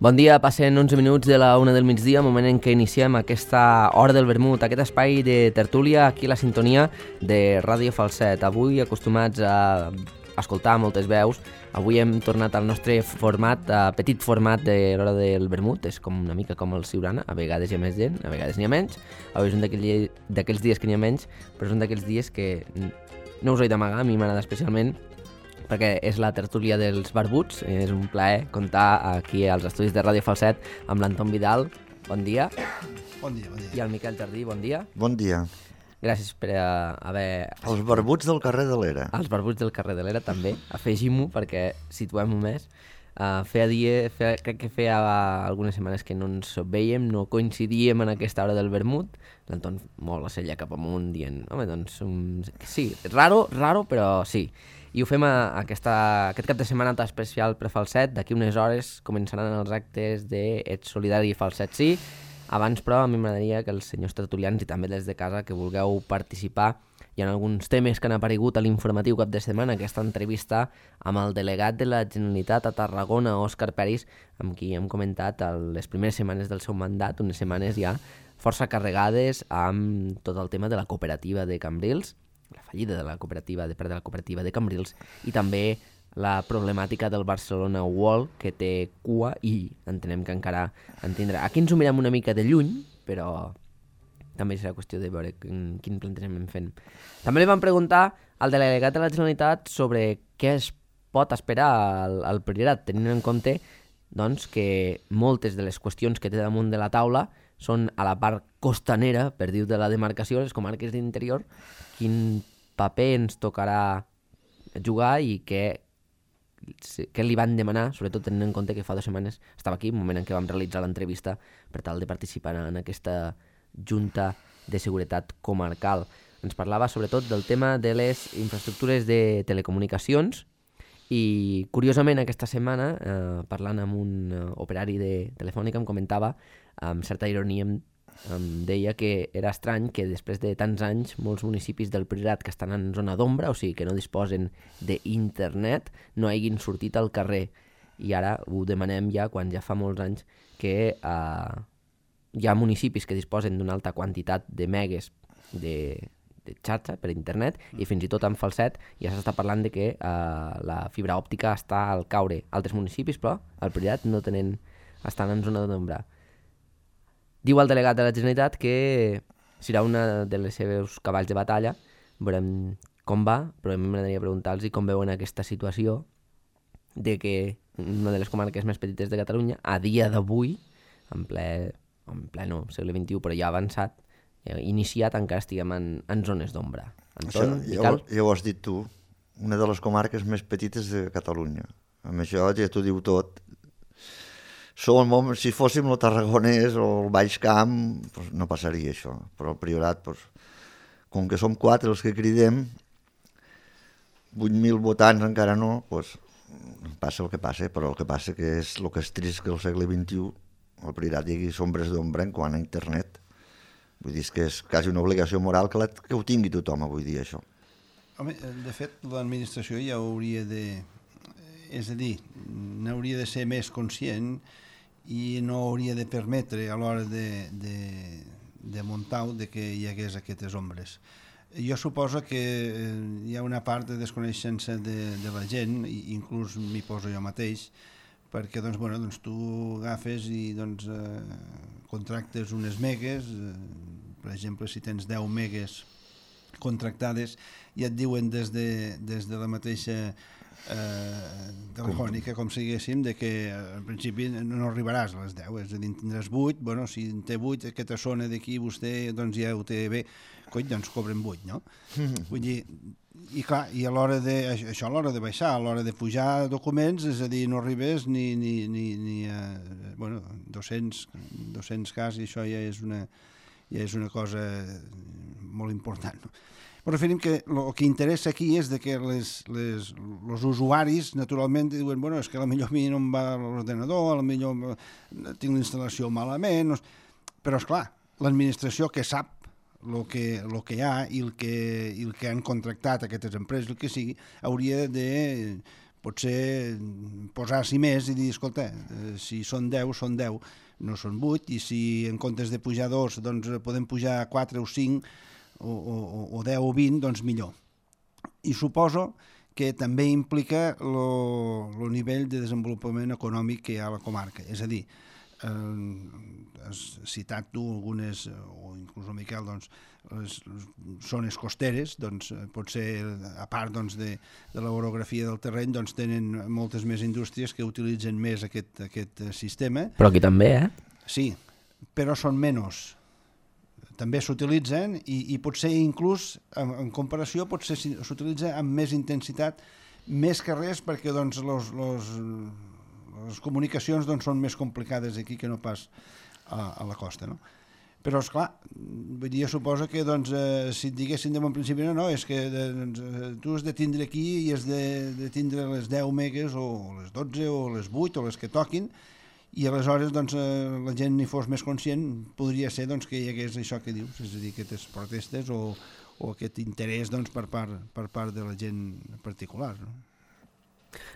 Bon dia, passen 11 minuts de la 1 del migdia, moment en què iniciem aquesta hora del vermut, aquest espai de tertúlia aquí a la sintonia de Ràdio Falset. Avui, acostumats a escoltar moltes veus, avui hem tornat al nostre format, petit format de l'hora del vermut. És com una mica com el Siurana, a vegades hi ha més gent, a vegades n'hi ha menys. Avui és un d'aquells dies que n'hi ha menys, però és un d'aquells dies que no us ho he d'amagar, a mi m'agrada especialment, perquè és la tertúlia dels barbuts. És un plaer comptar aquí als estudis de Ràdio Falset amb l'Anton Vidal. Bon dia. Bon dia, bon dia. I el Miquel Jardí, bon dia. Bon dia. Gràcies per haver... Els barbuts del carrer de l'Era. Els barbuts del carrer de l'Era, també. Afegim-ho perquè situem-ho més. Crec que feia algunes setmanes que no ens vèiem, no coincidíem en aquesta hora del vermut. L'Anton molt la cella cap amunt dient, home, doncs, sí, raro, però sí. I ho fem aquest cap de setmana tan especial per Falset. D'aquí unes hores començaran els actes de Ets Solidari i Falset Sí. Abans, però, a mi m'agradaria que els senyors tertulians i també des de casa que vulgueu participar. Hi ha alguns temes que han aparegut a l'informatiu cap de setmana, aquesta entrevista amb el delegat de la Generalitat a Tarragona, Òscar Peris, amb qui hem comentat les primeres setmanes del seu mandat, unes setmanes ja força carregades amb tot el tema de la cooperativa de Cambrils, la fallida de la cooperativa de Cambrils, i també la problemàtica del Barcelona World, que té cua i entenem que encara en tindrà. Aquí ens ho mirem una mica de lluny, però també serà qüestió de veure quin plantejament fem. També li vam preguntar al delegat de la Generalitat sobre què es pot esperar al Priorat, tenint en compte doncs, que moltes de les qüestions que té damunt de la taula són a la part costanera, per dir de la demarcació, les comarques d'interior. Quin paper ens tocarà jugar i què li van demanar, sobretot tenint en compte que fa 2 setmanes estava aquí, un moment en què vam realitzar l'entrevista per tal de participar en aquesta Junta de Seguretat Comarcal. Ens parlava sobretot del tema de les infraestructures de telecomunicacions i, curiosament, aquesta setmana, parlant amb un operari de Telefònica, em comentava, amb certa ironia, em deia que era estrany que després de tants anys molts municipis del Priorat que estan en zona d'ombra, o sigui que no disposen d'internet, no hagin sortit al carrer. I ara ho demanem ja quan ja fa molts anys que hi ha municipis que disposen d'una alta quantitat de megues de xarxa per internet, i fins i tot en Falset ja s'està parlant de que la fibra òptica està al caure. Altres municipis, però, al Priorat no estan en zona d'ombra. Diu el delegat de la Generalitat que serà una de les seves cavalls de batalla. Veurem com va, però a mi m'agradaria preguntar-los com veuen aquesta situació de que una de les comarques més petites de Catalunya, a dia d'avui, en pleno segle XXI, però ja avançat, iniciat, encara estiguem en zones d'ombra. Anton, Miquel? Ja ho has dit tu, una de les comarques més petites de Catalunya. Amb això ja t'ho diu tot. Si fóssim el Tarragonès o el Baix Camp, doncs no passaria això. Però el Priorat, com que som 4 els que cridem, 8.000 votants encara no, passa el que passa. Però el que passa que és el que és trist que al segle XXI el Priorat hi hagi sombres d'ombra en quant a internet. Vull dir, que és quasi una obligació moral que ho tingui tothom avui dia, això. Home, de fet, l'administració ja hauria de... És a dir, n'hauria de ser més conscient i no hauria de permetre a l'hora de muntar de que hi hagués aquestes ombres. Jo suposo que hi ha una part de desconeixença de la gent, inclús m'hi poso jo mateix, perquè doncs, tu agafes i contractes unes megues, per exemple, si tens 10 megues contractades, i et diuen des de la mateixa telefònica, com si diguéssim, que al principi no arribaràs a les 10, és a dir, en tindràs 8, si en té 8, aquesta zona d'aquí vostè ja ho té bé, doncs cobren 8, no? Vull dir, i clar, i a l'hora de baixar, a l'hora de pujar documents, és a dir, no arribes ni a 200 cas, i això ja és una cosa molt important, no? Però referim que el que interessa aquí és que els usuaris, naturalment, diuen, és que potser a mi no em va l'ordenador, potser tinc la instal·lació malament, però, esclar, l'administració que sap el que hi ha i el que han contractat aquestes empreses, el que sigui, hauria de potser posar-s'hi més i dir, escolta, si són 10, són 10, no són 8, i si en comptes de pujar 2, doncs podem pujar 4 o 5, o 10 o 20, doncs millor. I suposo que també implica el nivell de desenvolupament econòmic que hi ha a la comarca. És a dir, has citat tu algunes, o inclús el Miquel, doncs, les zones costeres, doncs, potser a part doncs, de l'orografia del terreny, doncs, tenen moltes més indústries que utilitzen més aquest sistema. Però aquí també, Sí, però són menys. També s'utilitzen i potser inclús, en comparació, potser s'utilitza amb més intensitat, més que res, perquè doncs, les comunicacions doncs, són més complicades aquí que no pas a la costa, no? Però, esclar, vull dir, suposo que doncs, si et diguessin de bon principi no, és que doncs, tu has de tindre aquí i has de tindre les 10 megues o les 12 o les 8 o les que toquin, i aleshores doncs, la gent n'hi fos més conscient, podria ser doncs, que hi hagués això que dius, és a dir, aquestes protestes o aquest interès doncs, per part de la gent particular. No?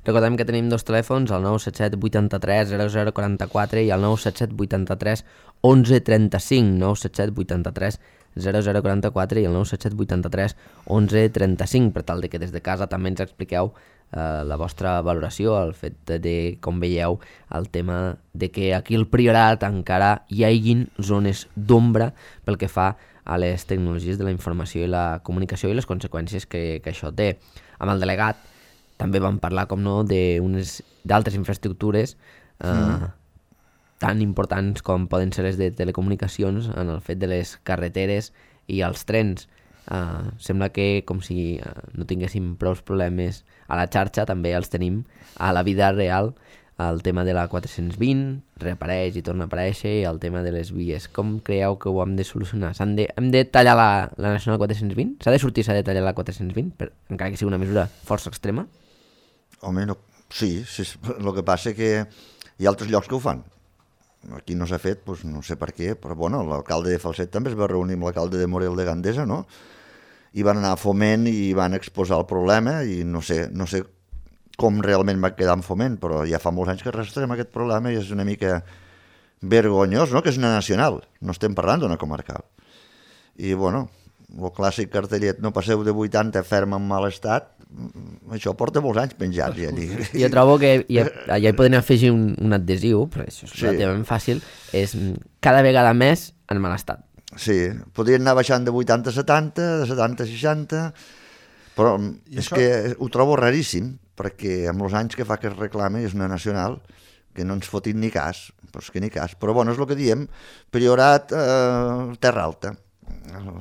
Recordem que tenim dos telèfons, el 977 83 0044 i el 977 83 1135, 977 83 0044 i el 977 83 1135, per tal de que des de casa també ens expliqueu la vostra valoració, el fet de com veieu el tema de que aquí al Priorat encara hi hagin zones d'ombra pel que fa a les tecnologies de la informació i la comunicació i les conseqüències que això té. Amb el delegat també vam parlar, com no, d'altres infraestructures tan importants com poden ser les de telecomunicacions en el fet de les carreteres i els trens. Sembla que com si no tinguéssim prou problemes a la xarxa, també els tenim a la vida real. El tema de la 420 reapareix i torna a aparèixer, i el tema de les vies. Com creieu que ho hem de solucionar? Hem de tallar la Nacional 420? S'ha de sortir, s'ha de tallar la 420, encara que sigui una mesura força extrema? Home, no, sí, el que passa que hi ha altres llocs que ho fan. Aquí no s'ha fet, doncs no sé per què, però bueno, l'alcalde de Falset també es va reunir amb l'alcalde de Morell de Gandesa, no? I van anar a Foment i van exposar el problema i no sé com realment va quedar en Foment, però ja fa molts anys que arrastrem aquest problema i és una mica vergonyós, no? Que és una nacional, no estem parlant d'una comarcal. I bueno, el clàssic cartellet no passeu de 80 ferm en mal estat, això porta molts anys penjats. Ja jo trobo que allà hi podem afegir un adhesiu, però això és relativament fàcil, és cada vegada més en mal estat. Sí, podrien anar baixant de 80 a 70, de 70 a 60, però és que ho trobo raríssim, perquè amb els anys que fa que es reclama és una nacional que no ens fotin ni cas, però és que ni cas. Però bueno, és el que diem, Priorat, Terra Alta.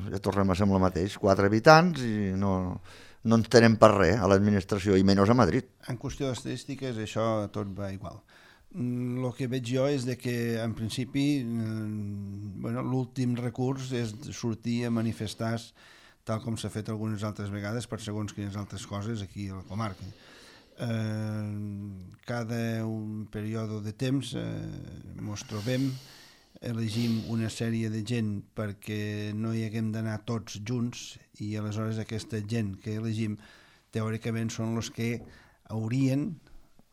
Ja tornem a ser amb el mateix, 4 habitants i no ens tenen per res a l'administració, i menys a Madrid. En qüestió d'estadístiques això tot va igual. El que veig jo és que en principi l'últim recurs és sortir a manifestar, tal com s'ha fet algunes altres vegades per segons quines altres coses aquí a la comarca. Cada un període de temps ens trobem, elegim una sèrie de gent perquè no hi haguem d'anar tots junts, i aleshores aquesta gent que elegim teòricament són els que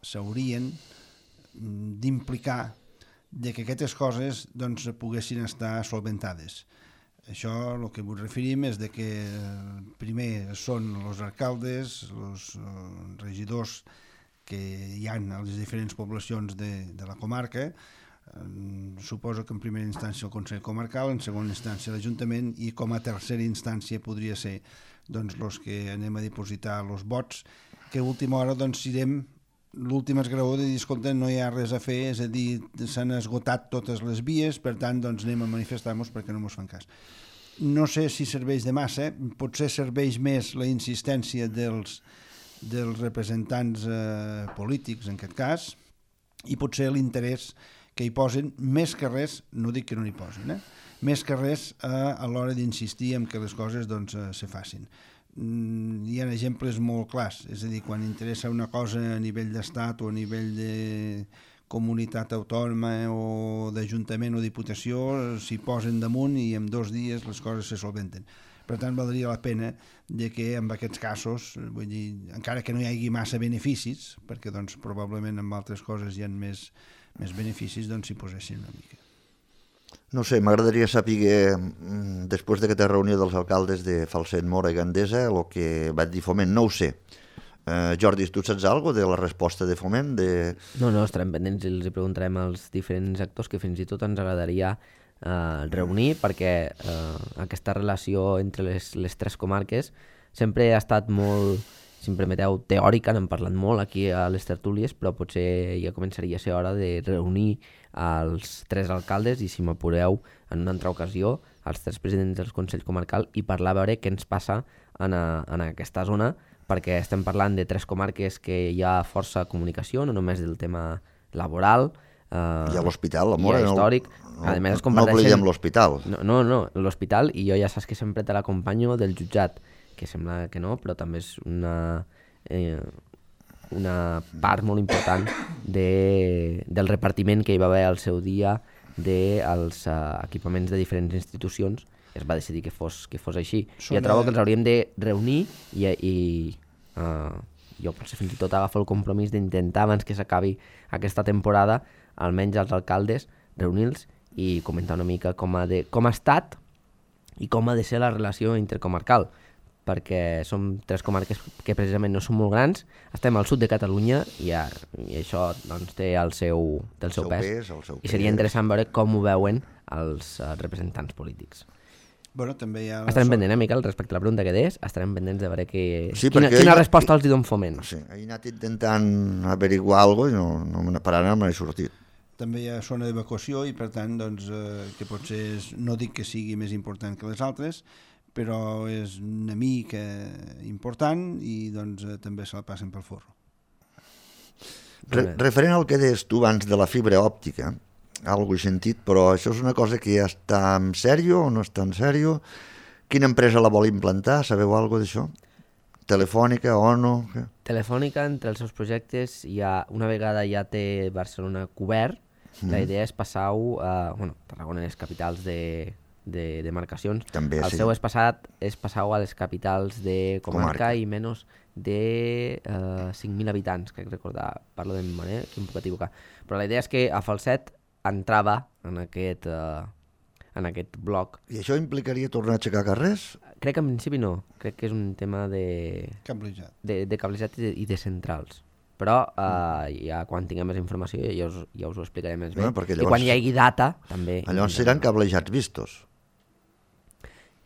s'haurien d'implicar de que aquestes coses doncs, poguessin estar solventades. Això el que ens referim és de que primer són els alcaldes, els regidors que hi ha a les diferents poblacions de la comarca, suposo que en primera instància el Consell Comarcal, en segona instància l'Ajuntament, i com a tercera instància podria ser doncs, els que anem a dipositar els vots, que a última hora doncs, serem l'últim esgraó de dir, escolta, no hi ha res a fer, és a dir, s'han esgotat totes les vies, per tant, doncs anem a manifestar-nos perquè no ens fan cas. No sé si serveix de massa, potser serveix més la insistència dels representants polítics, en aquest cas, i potser l'interès que hi posen, més que res, no dic que no n'hi posin, més que res a l'hora d'insistir en que les coses doncs, se facin. Hi ha exemples molt clars, és a dir, quan interessa una cosa a nivell d'estat o a nivell de comunitat autònoma o d'ajuntament o diputació s'hi posen damunt i en 2 dies les coses se solventen. Per tant, valdria la pena de que en aquests casos, vull dir, encara que no hi hagi massa beneficis, perquè doncs, probablement en altres coses hi ha més beneficis, doncs s'hi posessin una mica. No sé, m'agradaria saber, després d'aquesta reunió dels alcaldes de Falset, Móra i Gandesa, el que va dir Foment, no ho sé. Jordi, tu saps alguna cosa de la resposta de Foment? No, estarem pendents i els preguntarem als diferents actors, que fins i tot ens agradaria reunir, perquè aquesta relació entre les 3 comarques sempre ha estat molt, si em permeteu, teòrica, n'hem parlat molt aquí a les tertúlies, però potser ja començaria a ser hora de reunir els 3 alcaldes i, si m'apureu, en una altra ocasió, els 3 presidents del Consell Comarcal i parlar a veure què ens passa en aquesta zona, perquè estem parlant de 3 comarques que hi ha força comunicació, no només del tema laboral, hi ha l'hospital, la Móra, hi ha històric. No oblidem l'hospital. No, l'hospital, i jo ja saps que sempre te l'acompanyo del jutjat, que sembla que no, però també és una part molt important del repartiment que hi va haver al seu dia dels equipaments de diferents institucions. Es va decidir que fos així. Jo trobo que els hauríem de reunir i jo potser fins i tot agafo el compromís d'intentar, abans que s'acabi aquesta temporada, almenys els alcaldes, reunir-los i comentar una mica com ha estat i com ha de ser la relació intercomarcal, perquè som 3 comarques que precisament no són molt grans, estem al sud de Catalunya i això doncs, té el seu pes. I seria interessant veure com ho veuen els representants polítics. Bueno, també hi ha estarem pendents, Miquel, respecte a la pregunta que deies, estarem pendents de veure quina resposta els hi don Foment. Sí, he anat intentant averiguar alguna cosa i per ara no me n'he sortit. També hi ha zona d'evacuació i, per tant, doncs, que potser no dic que sigui més important que les altres, però és una mica important i doncs, també se la passen pel forro. Referent al que deies tu abans de la fibra òptica, algo he sentit, però això és una cosa que ja està en sèrio o no està en sèrio? Quina empresa la vol implantar? Sabeu alguna cosa d'això? Telefònica, ONO? Telefònica, entre els seus projectes, una vegada ja té Barcelona cobert, la idea és passar-ho Tarragona és capitals de demarcacions. També, el seu és passar-ho a les capitals de comarca i menys de 5.000 habitants, crec recordar, parlo de mi manera, que em puc equivocar. Però la idea és que a Falset entrava en aquest bloc. I això implicaria tornar a aixecar carrers? Crec que en principi no. Crec que és un tema de cablejat i de centrals. Però ja quan tinguem més informació ja us ho explicaré més bé. Llavors, i quan hi hagi data també... Llavors seran cablejats vistos.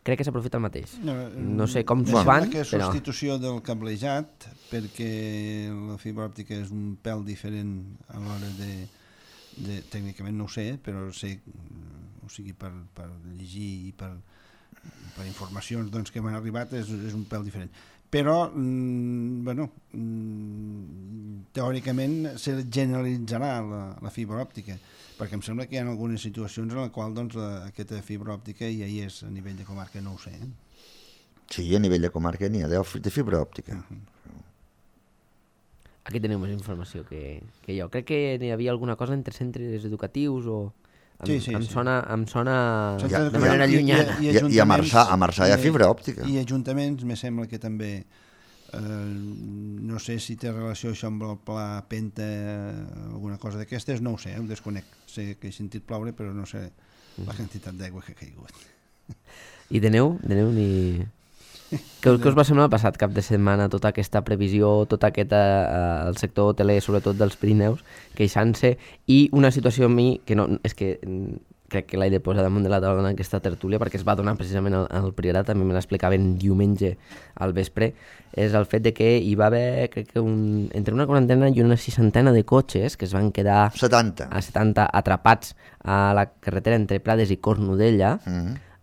Crec que s'aprofita el mateix. No sé com s'ho fan, però... és substitució del cablejat, perquè la fibra òptica és un pèl diferent a l'hora de tècnicament no ho sé, però sé, o sigui, per llegir i per informacions doncs, que m'han arribat és un pèl diferent. Però, teòricament se generalitzarà la fibra òptica, perquè em sembla que hi ha algunes situacions en les quals doncs, aquesta fibra òptica ja hi és a nivell de comarca, no ho sé. Sí, a nivell de comarca n'hi ha de fibra òptica. Aquí teniu més informació que jo. Crec que n'hi havia alguna cosa entre centres educatius o... Em sona de manera llunyana. I a Marçà hi ha fibra òptica. I ajuntaments, me sembla que també... no sé si té relació això amb el pla Penta o alguna cosa d'aquestes, no ho sé, ho desconec. Sé que he sentit ploure, però no sé la quantitat d'aigua que ha caigut. I de neu ni... Què us va semblar el passat cap de setmana, tota aquesta previsió, tot aquest el sector hoteler, sobretot dels Pirineus, queixant-se, i una situació a mi que no, és que crec que l'he de posar damunt de la taula en aquesta tertúlia, perquè es va donar precisament al Priorat, també me l'explicaven diumenge al vespre, és el fet de que hi va haver, crec que entre una quarantena i una 60 de cotxes que es van quedar 70 atrapats a la carretera entre Prades i Cornudella,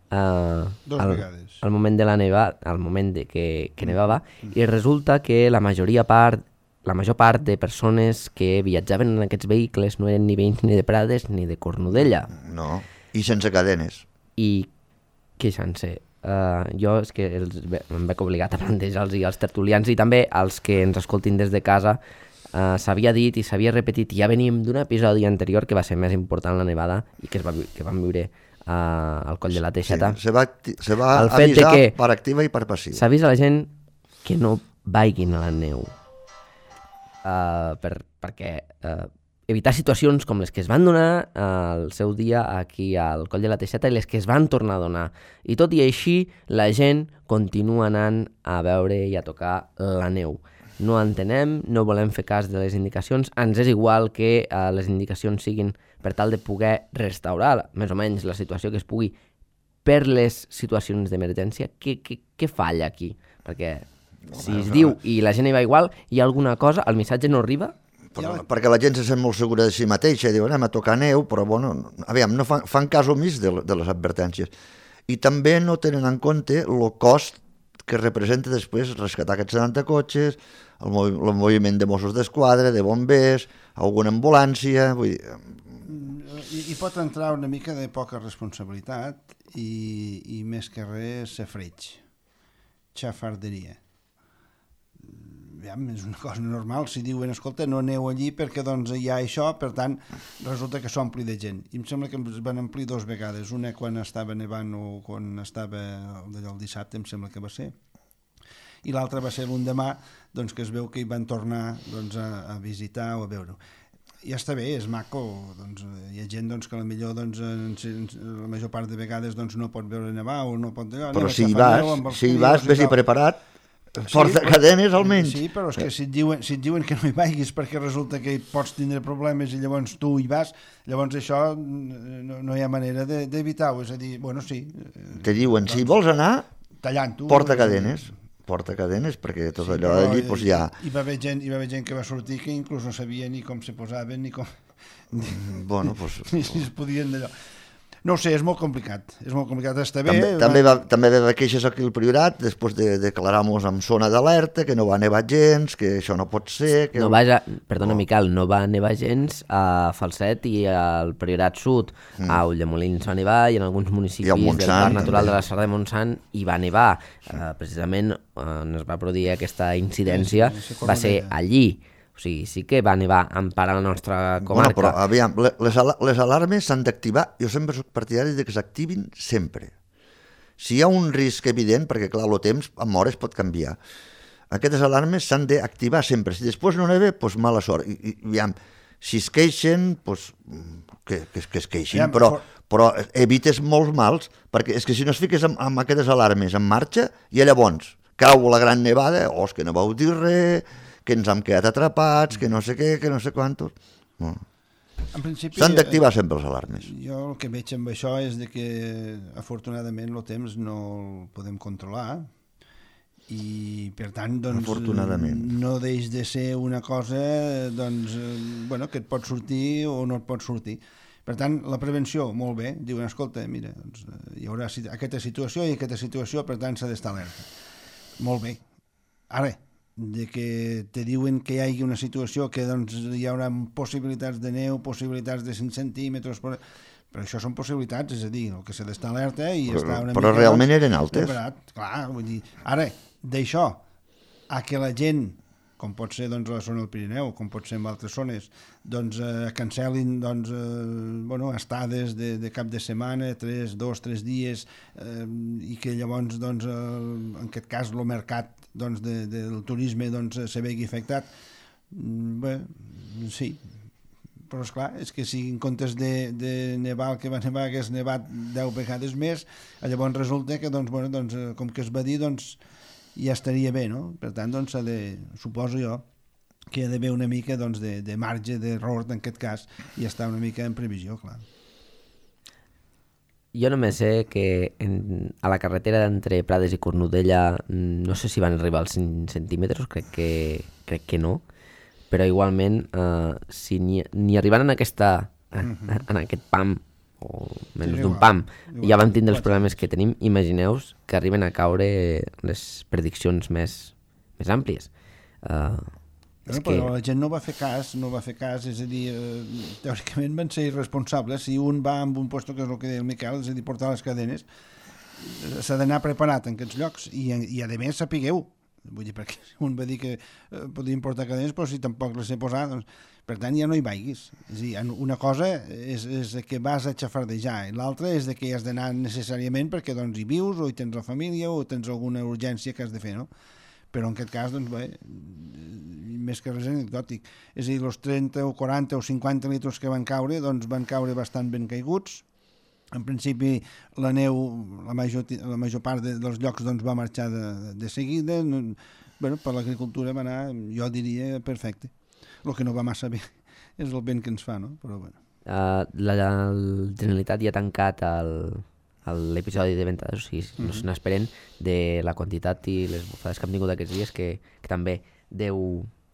Dos vegades. Al moment de la nevada, al moment de que nevava, i resulta que la major part de persones que viatjaven en aquests vehicles no eren ni veïns ni de Prades ni de Cornudella. No, i sense cadenes. I queixant-se. Jo és que em veig obligat a plantejar-los i als tertulians i també als que ens escoltin des de casa s'havia dit i s'havia repetit, i ja veníem d'un episodi anterior que va ser més important, la nevada, i que vam viure al Coll de la Teixeta. Sí, se va avisar per activa i per passiva. S'avisa a la gent que no vagin a la neu, perquè evitar situacions com les que es van donar al seu dia aquí al Coll de la Teixeta i les que es van tornar a donar. I tot i així, la gent continua anant a veure i a tocar la neu. No entenem, no volem fer cas de les indicacions, ens és igual que les indicacions siguin per tal de poder restaurar més o menys la situació que es pugui per les situacions d'emergència. Què falla aquí? Perquè si es diu i la gent hi va igual, hi ha alguna cosa, el missatge no arriba? Perquè la gent se sent molt segura de si mateixa, diu anem a tocar neu, però bueno, aviam, no fan cas omís de les advertències. I també no tenen en compte el cost que representa després rescatar aquests 70 cotxes, el moviment de Mossos d'Esquadra, de bombers, alguna ambulància... Vull dir... I pot entrar una mica de poca responsabilitat i més que res safreig, xafarderia. És una cosa normal, si diuen, escolta, no aneu allí perquè doncs hi ha això, per tant, resulta que s'ompli de gent. I em sembla que ens van omplir 2 vegades, una quan estava nevant o quan estava el dissabte, em sembla que va ser, i l'altra va ser l'endemà, doncs que es veu que hi van tornar doncs, a visitar o a veure-ho. Ja està bé, és maco, doncs, hi ha gent doncs, que potser doncs, la major part de vegades doncs, no pot veure nevar o no pot... Però si hi vas, vés-hi preparat, porta cadenes almenys. Sí, però és que si et diuen que no hi vagis perquè resulta que pots tindre problemes i llavors tu hi vas, llavors això no hi ha manera d'evitar-ho, és a dir, bueno, sí. Te diuen, si vols anar, tallant-ho, porta cadenes, perquè tot allò d'allí doncs ja... Hi va haver gent que va sortir que inclús no sabia ni com se posaven ni com... Bueno, doncs... Ni si es podien d'allò. No ho sé, és molt complicat, està bé... També va haver queixes aquí al Priorat, després de declarar-nos en zona d'alerta, que no va nevar gens, que això no pot ser... Que... Perdona, Miquel, no va nevar gens a Falset i al Priorat Sud. A Ulldemolins va nevar i en alguns municipis del Parc Natural de la Serra de Montsant hi va nevar. Precisament on es va produir aquesta incidència va ser allí. O sigui, sí que va nevar empara la nostra comarca. Bueno, però aviam, les alarmes s'han d'activar, jo sempre soc partidari que s'activin sempre. Si hi ha un risc evident, perquè clar, el temps amb hores pot canviar, aquestes alarmes s'han d'activar sempre. Si després no neva, doncs mala sort. I aviam, si es queixen, doncs que es queixin, però evites molts mals, perquè és que si no es fiques amb aquestes alarmes en marxa, i llavors cau la gran nevada, és que no vau dir res, que ens hem quedat atrapats, que no sé què, que no sé quantos... No. S'han d'activar sempre les alarmes. Jo el que veig amb això és que afortunadament el temps no el podem controlar i per tant doncs, no deix de ser una cosa doncs, bueno, que et pot sortir o no et pot sortir. Per tant, la prevenció, molt bé, diuen, escolta, mira, doncs, hi haurà aquesta situació i aquesta situació, per tant s'ha d'estar alerta. Molt bé. Ara, de que te diuen que hi hagi una situació que doncs, hi haurà possibilitats de neu, possibilitats de 5 centímetres, però això són possibilitats, és a dir, el que s'ha d'estar alerta i estar una mica... Però realment eren altes. Clar, vull dir, ara, d'això, a que la gent, com pot ser doncs, a la zona del Pirineu, com pot ser en altres zones, doncs cancel·lin doncs, estades de cap de setmana, 2 o 3 dies, i que llavors, doncs, en aquest cas, el mercat doncs, del turisme doncs, se vegi afectat. Bé, sí, però esclar, és que si en comptes de nevar el que va nevar hagués nevat 10 vegades més, llavors resulta que doncs, com que es va dir doncs, ja estaria bé, no? Per tant, doncs, suposo jo que hi ha d'haver una mica doncs, de marge d'error en aquest cas i estar una mica en previsió, clar. Jo només sé que a la carretera d'entre Prades i Cornudella no sé si van arribar als 5 centímetres, crec que no, però igualment si ni arribant en aquest PAM o menys d'un PAM ja vam tindre els problemes que tenim, imagineu-vos que arriben a caure les prediccions més àmplies. Però la gent no va fer cas, és a dir, teòricament van ser irresponsables. Si un va amb un puesto, que és el que deia el Miquel, és a dir, portar les cadenes, s'ha d'anar preparat en aquests llocs i a més sapigueu Vull dir, perquè un va dir que podien portar cadenes, però si tampoc les sé posar, doncs, per tant ja no hi vagis. És a dir, una cosa és que vas a xafardejar i l'altra és que hi has d'anar necessàriament perquè doncs, hi vius o hi tens la família o tens alguna urgència que has de fer, no? Però en aquest cas, doncs, bé, més que res anecdòtic. És a dir, els 30 o 40 o 50 litres que van caure, doncs van caure bastant ben caiguts. En principi, la neu, la major part dels llocs doncs, va marxar de seguida. Bueno, per l'agricultura va anar, jo diria, perfecte. El que no va massa bé és el vent que ens fa, no? Però bueno. La Generalitat ja ha tancat l'episodi de venda, o sigui, no se n'esperen de la quantitat i les bufades que hem tingut aquests dies, que també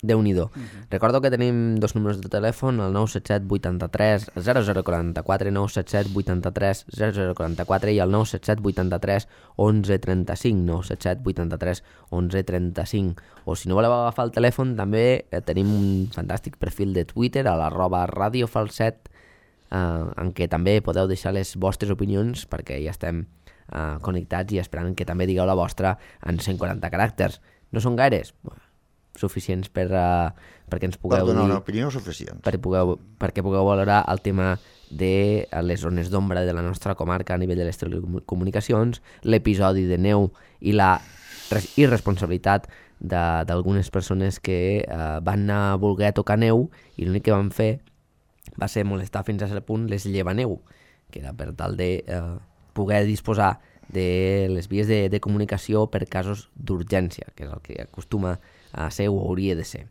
Déu-n'hi-do. Recordo que tenim dos números de telèfon, el 977 83 0044, 977 83 0044 i el 977 83 1135, 977 83 1135. O si no voleu agafar el telèfon, també tenim un fantàstic perfil de Twitter a @radiofalset, en què també podeu deixar les vostres opinions, perquè ja estem connectats i esperant que també digueu la vostra en 140 caràcters. No són gaires? Suficients perquè ens pugueu donar dir... una opinió suficient. Perquè pugueu valorar el tema de les zones d'ombra de la nostra comarca a nivell de les telecomunicacions, l'episodi de neu i la irresponsabilitat d'algunes persones que van anar a voler tocar neu i l'únic que van fer va ser molestar fins a cert punt les llevaneu, que era per tal de poder disposar de les vies de comunicació per casos d'urgència, que és el que acostuma a ser o hauria de ser.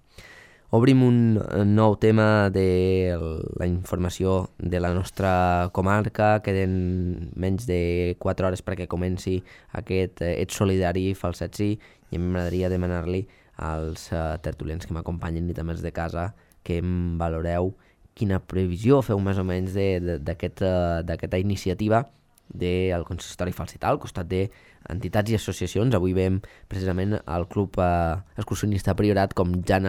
Obrim un nou tema de la informació de la nostra comarca. Queden menys de 4 hores perquè comenci aquest Ets Solidari Falset Sí, i m'agradaria demanar-li als tertulians que m'acompanyen i també els de casa que em valoreu quina previsió feu més o menys d'aquesta iniciativa del consistori falsetà al costat d'entitats i associacions. Avui veiem precisament el club excursionista Priorat com ja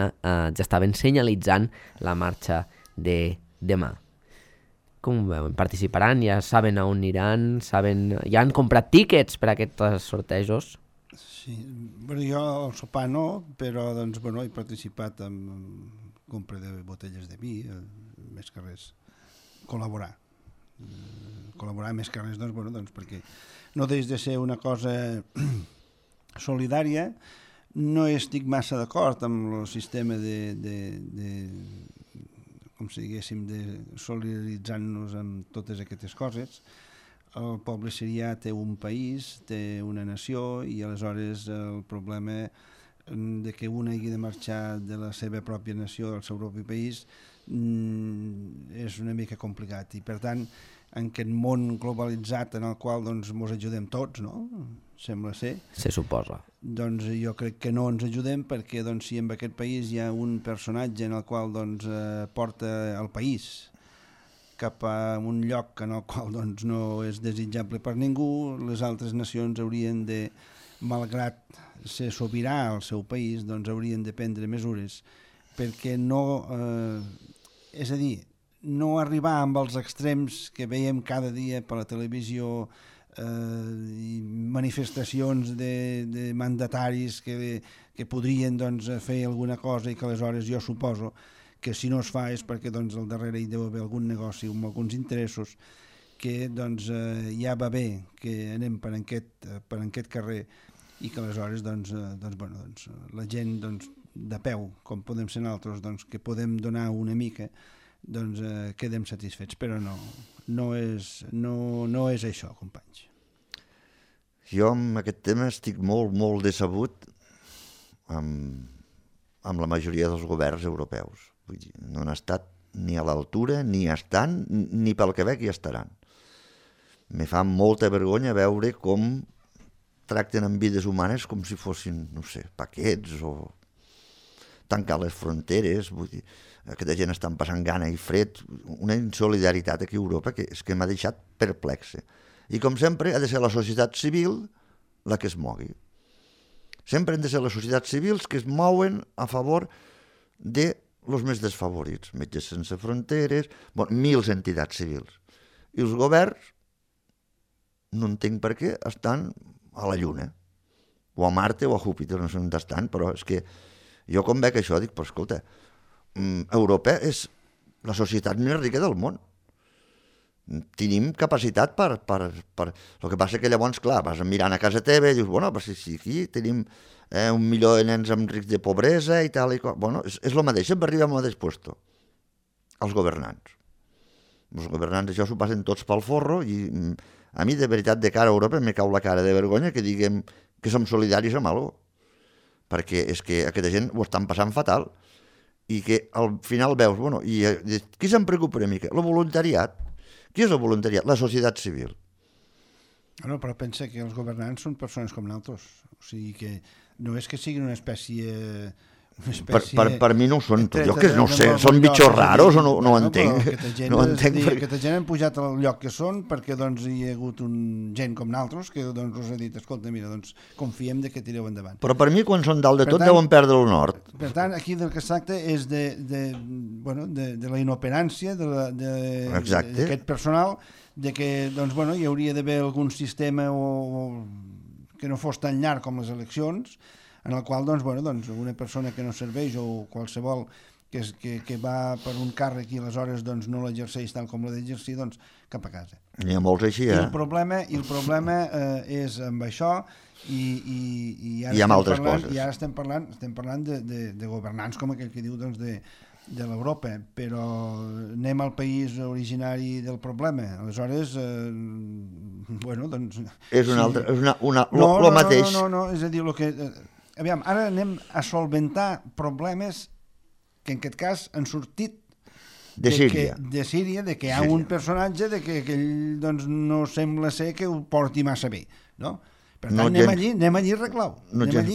estaven senyalitzant la marxa de demà. Com ho veuen? Participaran? Ja saben a on aniran? Ja han comprat tíquets per a aquests sortejos? Sí, bueno, jo al sopar no, però doncs, bueno, he participat en compra de botelles de vi, més que res, col·laborar més que res, doncs, bueno, doncs, perquè no deix de ser una cosa solidària. No estic massa d'acord amb el sistema com si diguéssim, de solidaritzar-nos amb totes aquestes coses. El poble sirià té un país, té una nació, i aleshores el problema de que un hagi de marxar de la seva pròpia nació, del seu propi país, és una mica complicat. I per tant, en aquest món globalitzat en el qual doncs ens ajudem tots, no? Sembla ser. Se suposa. Doncs jo crec que no ens ajudem, perquè doncs, si en aquest país hi ha un personatge en el qual doncs, porta el país cap a un lloc en el qual doncs, no és desitjable per ningú, les altres nacions haurien de, malgrat ser sobirà al seu país, doncs haurien de prendre mesures perquè no... és a dir, no arribar amb els extrems que veiem cada dia per la televisió, i manifestacions de mandataris que podrien doncs, fer alguna cosa i que aleshores jo suposo que si no es fa és perquè doncs, al darrere hi deu haver algun negoci amb alguns interessos, que doncs, ja va bé que anem per aquest carrer i que aleshores doncs, la gent doncs, de peu, com podem ser nosaltres, doncs, que podem donar una mica, doncs quedem satisfets, però no és això, companys. Jo amb aquest tema estic molt decebut amb la majoria dels governs europeus. Vull dir, no han estat ni a l'altura, ni estan, ni pel que veig hi estaran. Me fa molta vergonya veure com tracten amb vides humanes com si fossin, no sé, paquets o tancar les fronteres. Vull dir, aquesta gent estan passant gana i fred, una insolidaritat aquí a Europa que és que m'ha deixat perplexe. I com sempre ha de ser la societat civil la que es mogui. Sempre han de ser les societats civils que es mouen a favor de els més desfavorits, Metges Sense Fronteres, mils entitats civils. I els governs, no entenc per què, estan a la lluna. o a Marte o a Júpiter, no sé on estan, però és que jo com veig això dic, però escolta, Europa és la societat més rica del món. Tenim capacitat per... El que passa que llavors, clar, vas mirant a casa teva i dius, bueno, però si aquí tenim 1 milió de nens amb risc de pobresa i tal i qual... Bueno, és el mateix, sempre arribem al mateix puesto. Els governants. Els governants això s'ho passen tots pel forro i a mi, de veritat, de cara a Europa, me cau la cara de vergonya que diguem que som solidaris amb alguna cosa. Perquè és que aquesta gent ho estan passant fatal i que al final veus, bueno, i qui se'n preocupa una mica? El voluntariat. Qui és el voluntariat? La societat civil. No, però pensa que els governants són persones com nosaltres. O sigui que no és que siguin una espècie... Per mi no ho són. Jo que no sé, són bitxos raros o no ho entenc. No entenc perquè... Aquesta gent han pujat al lloc que són perquè doncs, hi ha hagut gent com nosaltres que doncs, us ha dit, escolta, mira, doncs, confiem de que tireu endavant. Però per mi, quan són dalt de tot, deuen perdre el nord. Per tant, aquí del que es tracta és de la inoperància d'aquest personal, de que doncs, bueno, hi hauria d'haver algun sistema que no fos tan llarg com les eleccions, en el qual doncs, bueno, doncs, una persona que no serveix o qualsevol que va per un càrrec i aleshores doncs, no l'exerceix tal com l'ha d'exercir, doncs cap a casa. N'hi ha molts així, I el problema és amb això i ara amb altres coses. I ara estem parlant de governants com aquell que diu doncs, de l'Europa, però anem al país originari del problema. Aleshores, bueno, doncs... És una altra... el mateix. No, és a dir, el que... Aviam, ara anem a solventar problemes que en aquest cas han sortit de Síria, de que hi ha un personatge de que ell doncs, no sembla ser que ho porti massa bé, no? Per tant, anem allí i arreglau.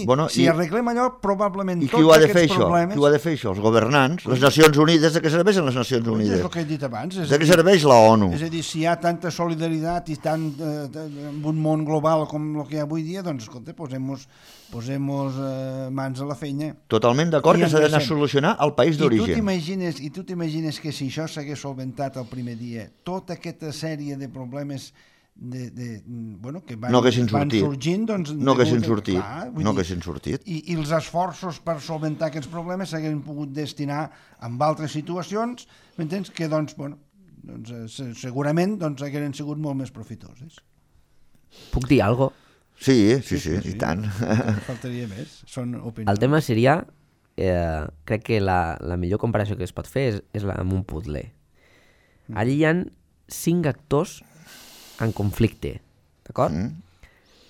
Bueno, si arreglem allò, probablement tots aquests problemes... Qui ho ha de fer això? Els governants, les Nacions Unides, de què serveixen les Nacions Unides? És el que he dit abans. De què serveix la ONU? És a dir, si hi ha tanta solidaritat i tant en un món global com el que hi ha avui dia, doncs, escolta, posem-nos mans a la feina. Totalment d'acord que s'ha d'anar a solucionar al país d'origen. I tu t'imagines que si això s'hagués solventat el primer dia, tota aquesta sèrie de problemes que van sorgint, doncs... No haguessin sortit. I els esforços per solventar aquests problemes s'haguessin pogut destinar a altres situacions, m'entens? Que, doncs, segurament haguessin sigut molt més profitoses. Puc dir alguna cosa? Sí, i tant. Faltaria més, són opinions. El tema seria, crec que la millor comparació que es pot fer és amb un puzzle. Allí hi ha 5 actors en conflicte, d'acord?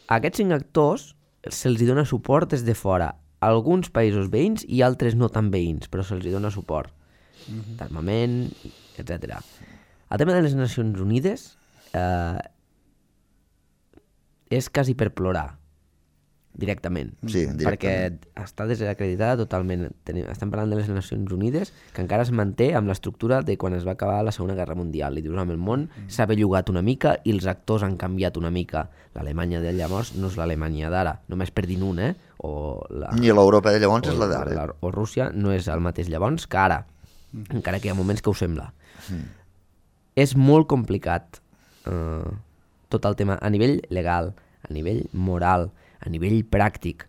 A aquests 5 actors se'ls dona suport des de fora. Alguns països veïns i altres no tan veïns, però se'ls dona suport. D'armament, etc. El tema de les Nacions Unides és quasi per plorar, directament. Sí, directament. Perquè està desacreditada totalment. Estem parlant de les Nacions Unides, que encara es manté amb l'estructura de quan es va acabar la Segona Guerra Mundial. I dius, el món s'ha bellugat una mica i els actors han canviat una mica. L'Alemanya de llavors no és l'Alemanya d'ara, només per dir un, ni l'Europa de llavors és la d'ara. O Rússia no és el mateix llavors que ara, encara que hi ha moments que ho sembla. És molt complicat tot el tema a nivell legal, a nivell moral, a nivell pràctic.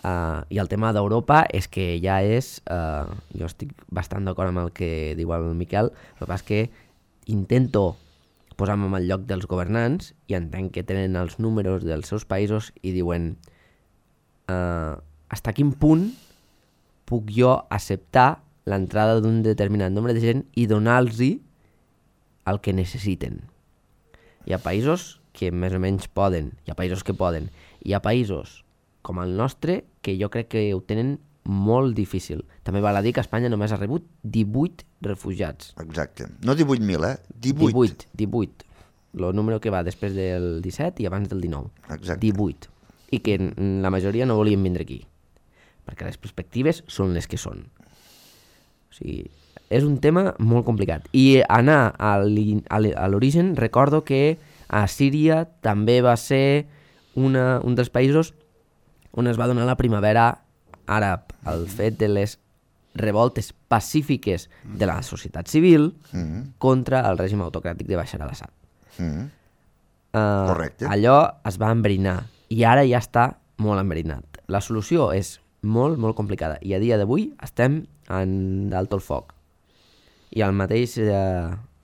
I el tema d'Europa és que ja és... jo estic bastant d'acord amb el que diu el Miquel, el que passa és que intento posar-me en el lloc dels governants i entenc que tenen els números dels seus països i diuen fins a quin punt puc jo acceptar l'entrada d'un determinat nombre de gent i donar-los el que necessiten. Hi ha països que més o menys poden, hi ha països que poden, hi ha països com el nostre que jo crec que ho tenen molt difícil. També val a dir que Espanya només ha rebut 18 refugiats. Exacte. No 18.000, 18. 18. El número que va després del 17 i abans del 19. Exacte. 18. I que la majoria no volien vindre aquí. Perquè les perspectives són les que són. O sigui, és un tema molt complicat. I anar a l'origen, recordo que a Síria també va ser un dels països on es va donar la primavera àrab, el fet de les revoltes pacífiques de la societat civil contra el règim autocràtic de Bashar al-Assad. Correcte. Allò es va enverinar i ara ja està molt enverinat. La solució és molt, molt complicada i a dia d'avui estem en d'alto el foc. I el mateix,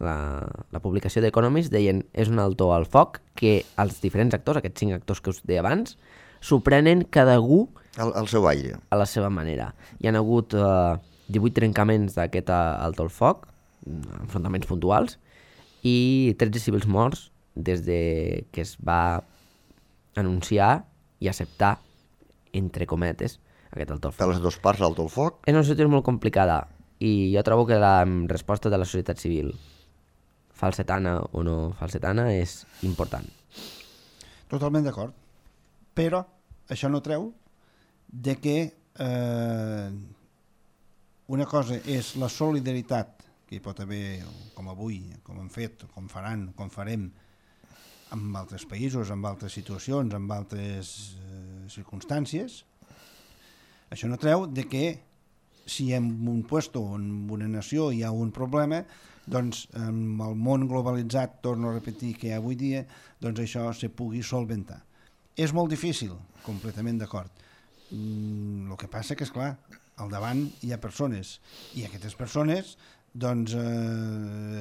la publicació d'Economist deien és un alto al foc que els diferents actors, aquests 5 actors que us deia abans, s'ho prenen cada algú al seu aire. A la seva manera. Hi ha hagut 18 trencaments d'aquest alto al foc, enfrontaments puntuals, i 13 civils morts des de que es va anunciar i acceptar, entre cometes, aquest alto al foc. Per les dues parts, l'alto al foc. És una situació molt complicada i jo trobo que la resposta de la societat civil, falsetana o no falsetana, és important. Totalment d'acord. Però això no treu de que una cosa és la solidaritat que hi pot haver, com avui, com hem fet, com faran, com farem, amb altres països, amb altres situacions, amb altres circumstàncies. Això no treu de que si en un puesto o en una nació hi ha un problema, doncs amb el món globalitzat, torno a repetir que avui dia, doncs això se pugui solventar. És molt difícil, completament d'acord. El que passa que, esclar, al davant hi ha persones, i aquestes persones doncs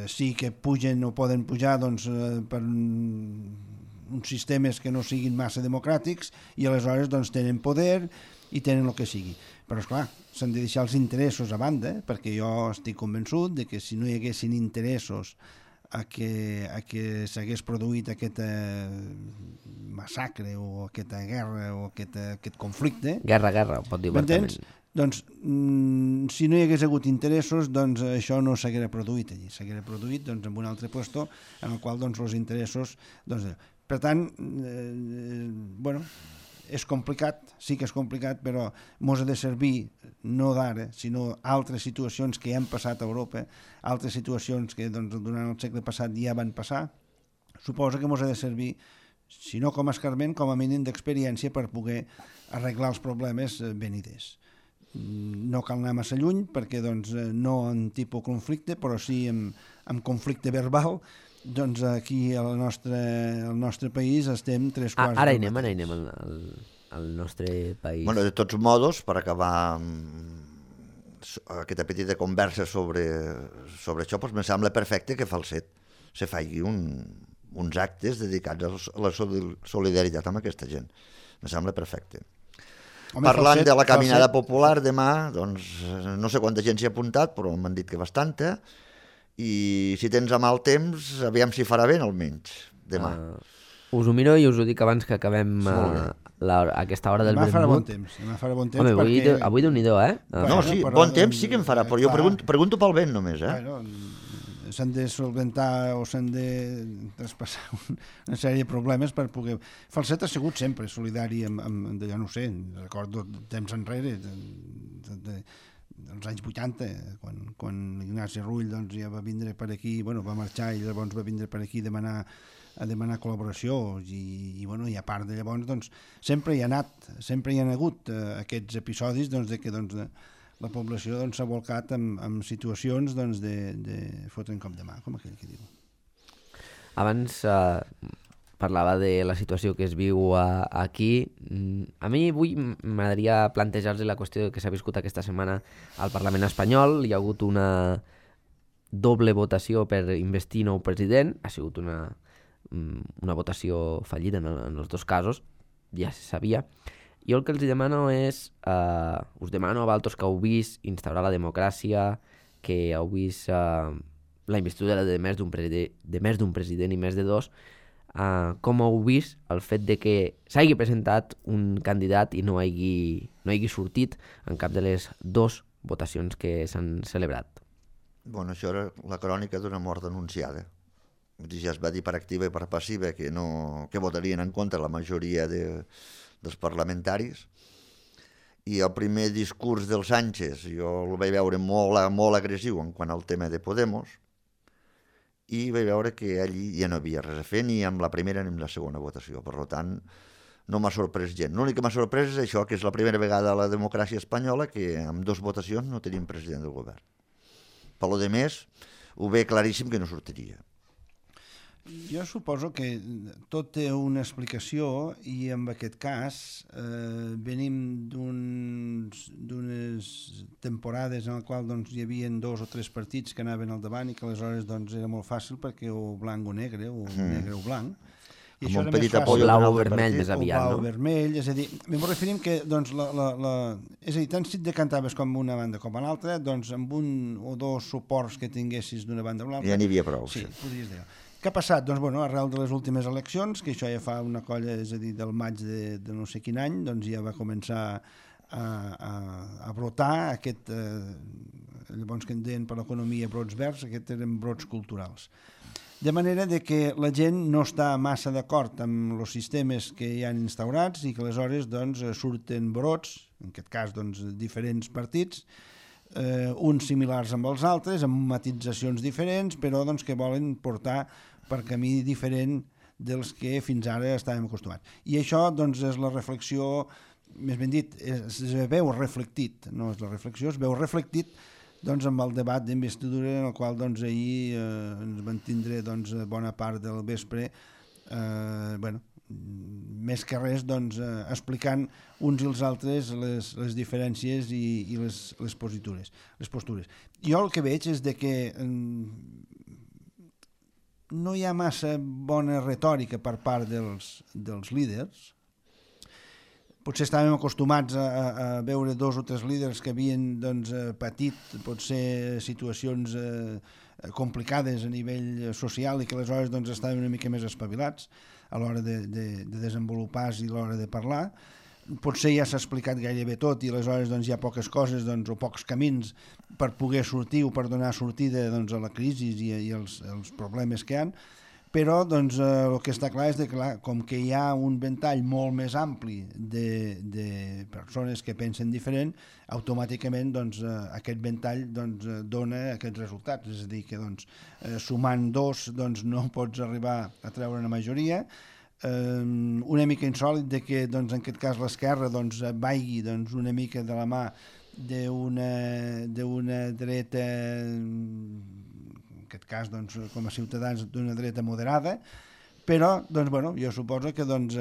sí que pugen o poden pujar doncs, per uns sistemes que no siguin massa democràtics i aleshores doncs, tenen poder i tenen el que sigui. Però, esclar, s'han de deixar els interessos a banda, perquè jo estic convençut de que si no hi haguessin interessos a que s'hagués produït aquest massacre o aquesta guerra o aquest conflicte... Guerra, ho pot dir obertament. Doncs, si no hi hagués hagut interessos, doncs això no s'haguera produït allí. S'haguera produït doncs, en un altre puesto en el qual doncs, els interessos... Doncs, per tant, bueno, és complicat, sí que és complicat, però mos ha de servir no d'ara, sinó altres situacions que han passat a Europa, altres situacions que doncs, durant el segle passat ja van passar. Suposa que mos ha de servir, si no com a escarment, com a mínim d'experiència per poder arreglar els problemes veniders. No cal anar massa lluny perquè doncs, no en tipus conflicte, però sí en conflicte verbal. Doncs aquí al nostre país estem 3/4. Ara hi anem al nostre país. Bueno, de tots modos, per acabar aquesta petita conversa sobre això, doncs me sembla perfecte que Falset se faci uns actes dedicats a la solidaritat amb aquesta gent. Me sembla perfecte. Home, parlant de la caminada popular demà, doncs no sé quanta gent s'hi ha apuntat, però m'han dit que bastanta, i si tens a mal temps, aviam si farà vent almenys, demà. Us ho miro i us ho dic abans que acabem aquesta hora del Vermut. Demà farà bon temps. Home, perquè... avui Déu-n'hi-do, No, sí, bon temps sí que en farà, però jo pregunto pel vent només, Bueno, s'han de solventar o s'han de traspassar una sèrie de problemes per poder... Falset ha sigut sempre solidari amb ja no sé, recordo temps enrere, dels anys 80, quan Ignasi Rull doncs, ja va vindre per aquí, bueno, va marxar i llavors va vindre per aquí a demanar col·laboració i a part de llavors doncs, sempre hi ha hagut aquests episodis doncs, de que doncs, la població doncs, s'ha volcat en situacions doncs, de fotre un cop de mà, com aquell que diu. Abans parlava de la situació que es viu aquí. A mi avui m'agradaria plantejar-los la qüestió que s'ha viscut aquesta setmana al Parlament espanyol. Hi ha hagut una doble votació per investir nou president. Ha sigut una votació fallida en els dos casos, ja se sabia. Jo el que els demano és, us demano a vosaltres que heu vist instaurar la democràcia, que heu vist la investidura de més d'un president i més de dos, com heu vist el fet de que s'hagi presentat un candidat i no hagi sortit en cap de les dues votacions que s'han celebrat. Bueno, això era la crònica d'una mort anunciada. Ja es va dir per activa i per passiva que votarien en contra la majoria dels parlamentaris, i el primer discurs del Sánchez jo el vaig veure molt agressiu en quant al tema de Podemos, i vaig veure que allí ja no havia res a fer ni amb la primera ni amb la segona votació. Per tant, no m'ha sorprès gent. L'únic que m'ha sorprès és això, que és la primera vegada a la democràcia espanyola que amb dues votacions no tenim president del govern. Per lo de més, ho ve claríssim que no sortiria. Jo suposo que tot té una explicació i en aquest cas venim d'unes temporades en les quals doncs, hi havia 2 o 3 partits que anaven al davant i que aleshores doncs, era molt fàcil perquè o blanc o negre o blanc. I amb això un era petit més fàcil. apoyo blau d'un o altre vermell partit. més aviat, blau no? vermell, és a dir, m'ho referim que doncs, és a dir, tant si et decantaves com una banda com a l'altra, doncs amb un o 2 suports que tinguessis d'una banda o l'altra... Ja n'hi havia prou. Sí, podries dir. Què ha passat? Doncs, bueno, arrel de les últimes eleccions, que això ja fa una colla, és a dir, del maig de no sé quin any, doncs ja va començar a brotar aquest, llavors que en deien per l'economia brots verds, aquests eren brots culturals. De manera de que la gent no està massa d'acord amb els sistemes que hi han instaurats i que aleshores doncs, surten brots, en aquest cas doncs, diferents partits, uns similars amb els altres, amb matitzacions diferents, però doncs, que volen portar per camí diferent dels que fins ara estàvem acostumats. I això doncs, és la reflexió, més ben dit, es veu reflectit, no és la reflexió, es veu reflectit doncs, amb el debat d'investidura en el qual doncs, ahir ens van tindre doncs, bona part del vespre bueno, més que res doncs, explicant uns i els altres les diferències i les postures. Jo el que veig és de que no hi ha massa bona retòrica per part dels líders. Potser estàvem acostumats a veure 2 o 3 líders que havien doncs, patit potser situacions complicades a nivell social i que aleshores doncs, estaven una mica més espavilats a l'hora de desenvolupar-se i a l'hora de parlar. Potser ja s'ha explicat gairebé tot i aleshores doncs, hi ha poques coses doncs, o pocs camins per poder sortir o per donar sortida doncs, a la crisi i els problemes que hi ha. Però doncs, el que està clar és que com que hi ha un ventall molt més ampli de persones que pensen diferent, automàticament doncs, aquest ventall doncs, dona aquests resultats. És a dir, que doncs, sumant 2 doncs, no pots arribar a treure una majoria. Una mica insòlit de que doncs, en aquest cas l'esquerra doncs, vagi doncs, una mica de la mà d'una dreta, en aquest cas doncs, com a ciutadans d'una dreta moderada, però doncs, bueno, jo suposo que doncs,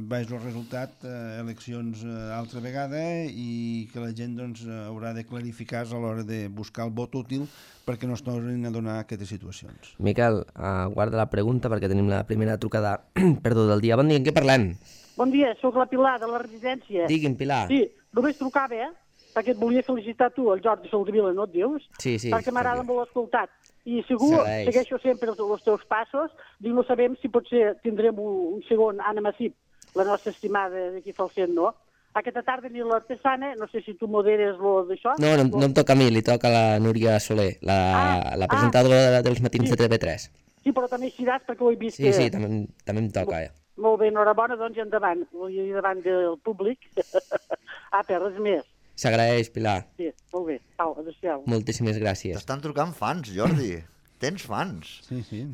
veig el resultat, eleccions altra vegada i que la gent doncs, haurà de clarificar-se a l'hora de buscar el vot útil perquè no es tornin a donar aquestes situacions. Miquel, guarda la pregunta perquè tenim la primera trucada del dia. Bon dia, en què parlem? Bon dia, sóc la Pilar de la residència. Digui'm, Pilar. Sí, només trucava, perquè et volia felicitar tu, el Jordi Soldevila, no et dius? Sí. Perquè m'agrada molt escoltat. I segur, segueixo sempre els teus passos, dic, no sabem si potser tindrem un segon Anna Massip, la nostra estimada d'aquí Falset, no? Aquesta tarda ni l'artesana, no sé si tu moderes d'això. No em toca a mi, li toca a la Núria Soler, la presentadora dels matins de TV3. Sí, però també eixiràs perquè ho he vist. Sí, també em toca. Molt bé, enhorabona, doncs, i endavant. Vull dir, davant del públic. Res més. S'agraeix, Pilar. Sí, molt bé. Au, adéu-siau. Moltíssimes gràcies. T'estan trucant fans, Jordi. Tens fans. Sí.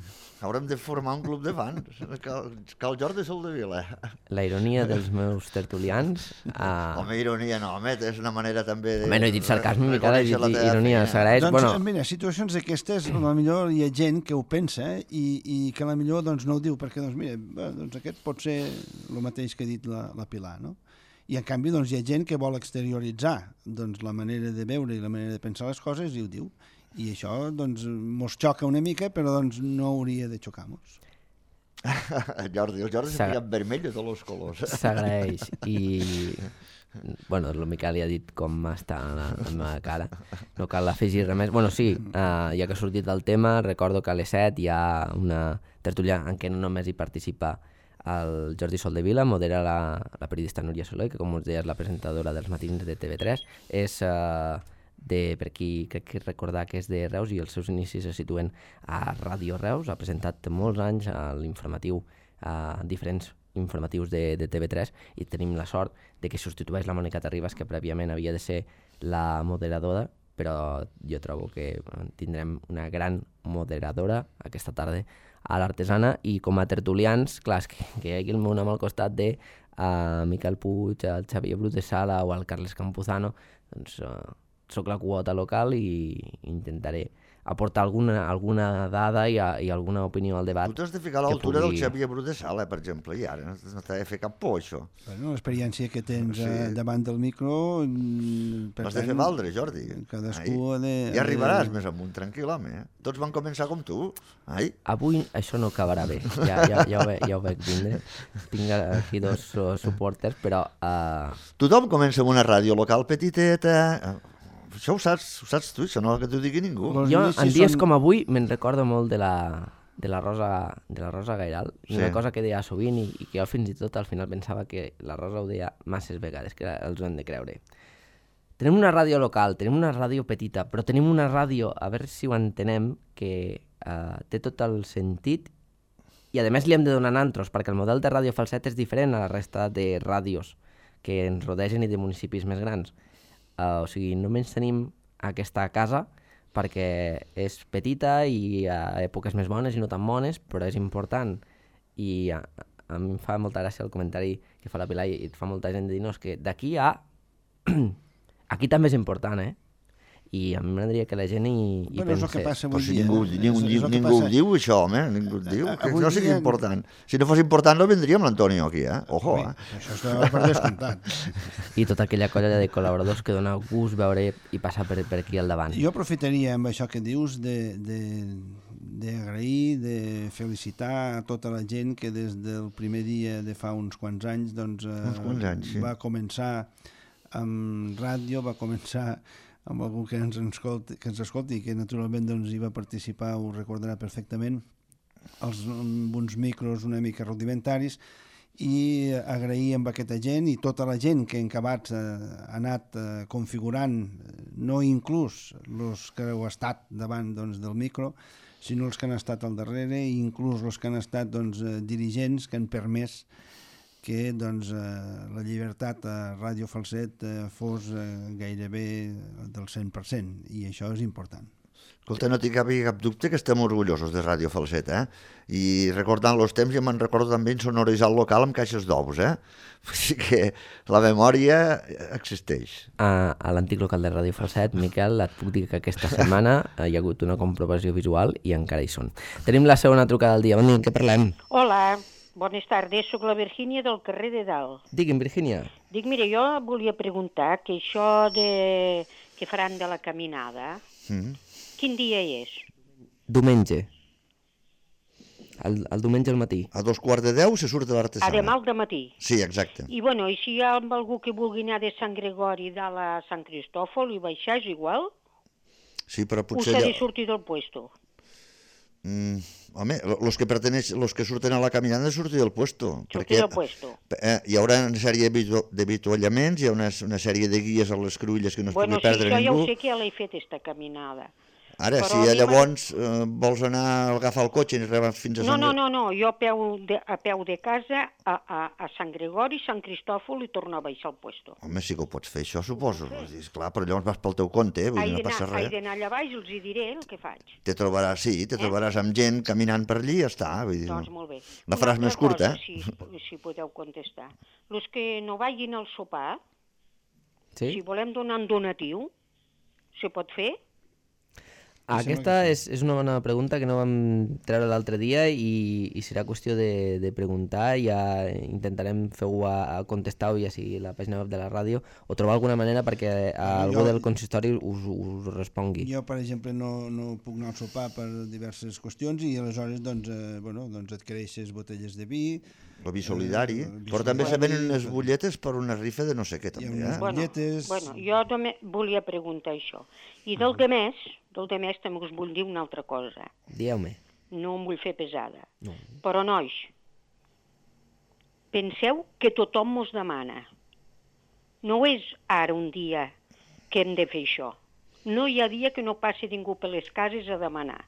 Haurem de formar un club de fans. Cal Jordi Soldevila. La ironia dels meus tertulians... Home, ironia no, home, és una manera també de... Home, no he dit sarcasme, Miquel, he dit ironia, s'agraeix. Doncs, mira, situacions d'aquestes, potser hi ha gent que ho pensa i que potser doncs, no ho diu, perquè, doncs, mira, doncs aquest pot ser el mateix que ha dit la Pilar, no? I en canvi doncs, hi ha gent que vol exterioritzar doncs, la manera de veure i la manera de pensar les coses i ho diu. I això doncs, mos xoca una mica, però doncs, no hauria de xocar-nos. El Jordi s'ha ficat vermell de tots els colors. S'agraeix. I, bueno, el Miquel ja ha dit com està la meva cara. No cal afegir res més. Bueno, sí, ja que ha sortit el tema, recordo que a les 7 hi ha una tertúlia en què no només hi participa el Jordi Soldevila, modera la periodista Núria Soler, que com us deia és la presentadora dels matins de TV3, és per qui crec que recordar que és de Reus i els seus inicis se situen a Ràdio Reus, ha presentat molts anys a l'informatiu, a diferents informatius de TV3 i tenim la sort de que substitueix la Mònica Terribas, que prèviament havia de ser la moderadora, però jo trobo que tindrem una gran moderadora aquesta tarda a l'Artesana i com a tertulians, clar, és que hi hagi el meu nom al costat de Miquel Puig, el Xavier Brut de Sala o el Carles Campuzano, doncs soc la quota local i intentaré aportar alguna dada i alguna opinió al debat. Tu t'has de ficar a l'altura del Xavier Bru de Sala, per exemple, i ara no t'ha de fer cap por, això. Bueno, l'experiència que tens davant del micro... L'has de fer valdre, Jordi. Cadascú ha de... Ja arribaràs més amunt, tranquil, home. Tots van començar com tu. Avui això no acabarà bé, ja ho veig vindre. Tinc aquí dos suporters, però... Tothom comença amb una ràdio local petiteta... Això ho saps tu, això no que t'ho digui ningú. Jo, en dies com avui, me'n recordo molt de la Rosa Gairal, una cosa que deia sovint i que jo fins i tot al final pensava que la Rosa ho deia masses vegades, que els ho hem de creure. Tenim una ràdio local, tenim una ràdio petita, però tenim una ràdio, a veure si ho entenem, que té tot el sentit i a més li hem de donar nantros, perquè el model de Ràdio Falset és diferent a la resta de ràdios que ens rodegen i de municipis més grans. O sigui, només tenim aquesta casa perquè és petita i a èpoques més bones i no tan bones, però és important. I a mi em fa molta gràcia el comentari que fa la Pilar i fa molta gent de dir, no, és que d'aquí a... Aquí també és important, I a mi m'agradaria que la gent hi pensés. És el que passa avui dia. Ningú ho diu, això, home. Ningú ho diu, que no sigui important. Si no fos important no vendríem l'Antonio aquí, Ojo, Això està per descomptat. I tota aquella colla de col·laboradors que dona gust veure i passar per aquí al davant. Jo aprofitaria amb això que dius d'agrair, de felicitar a tota la gent que des del primer dia de fa uns quants anys va començar amb ràdio, va començar amb algú que ens escolti, que naturalment hi va participar, ho recordarà perfectament, amb uns micros una mica rudimentaris, i agrair amb aquesta gent i tota la gent que en Cabats ha anat configurant, no inclús els que heu estat davant del micro, sinó els que han estat al darrere i inclús els que han estat dirigents que han permès que la llibertat a Ràdio Falset fos gairebé del 100%, i això és important. Escolta, no tinc cap dubte que estem orgullosos de Ràdio Falset, I recordant els temps, ja me'n recordo també insonoritzar el local amb caixes d'ous, Així que la memòria existeix. A l'antic local de Ràdio Falset, Miquel, et puc dir que aquesta setmana hi ha hagut una comprovació visual i encara hi són. Tenim la segona trucada del dia. Bon dia, què parlem? Hola. Bones tardes, soc la Virgínia del carrer de Dalt. Digui'm, Virgínia. Dic, mira, jo volia preguntar que això que faran de la caminada, quin dia és? Diumenge. El diumenge al matí. A 9:15 se surt de l'Artesana. Demà al matí. Sí, exacte. I bueno, i si hi ha algú que vulgui anar de Sant Gregori dalt a Sant Cristòfol i baixar, és igual? Sí, però potser... O s'ha de sortir del puesto? Home, los que surten a la caminada han de sortir del puesto. Sortir del puesto. Hi haurà una sèrie d'avituallaments, hi ha una sèrie de guies a les cruïlles que no es pugui perdre ningú. Bueno, sí, això ja ho sé que ja l'he fet, esta caminada. Ara, si llavors vols anar a agafar el cotxe i arribar fins a Sant Gregori... No, jo a peu de casa a Sant Gregori, Sant Cristòfol i tornar a baixar al puesto. Home, sí que ho pots fer, això suposo. Clar, però llavors vas pel teu compte, vull dir, no passa res. He d'anar allà baix i els hi diré el que faig. Te trobaràs amb gent caminant per allí i ja està. Doncs molt bé. La faràs més curta, Si podeu contestar. Els que no vagin al sopar, si volem donar un donatiu, se pot fer? Aquesta és una bona pregunta que no vam treure l'altre dia i serà qüestió de preguntar. Ja intentarem fer-ho a contestar-ho, ja sigui la pàgina web de la ràdio, o trobar alguna manera perquè algú del consistori us respongui. Jo, per exemple, no puc anar al sopar per diverses qüestions i aleshores adquireixes botelles de vi. El vi solidari, però també se venen unes butlletes per una rifa de no sé què, també. Bueno, jo també volia preguntar això. I del demés també us vull dir una altra cosa. Dieu-me. No em vull fer pesada. No. Però, nois, penseu que tothom mos demana. No és ara un dia que hem de fer això. No hi ha dia que no passi ningú per les cases a demanar.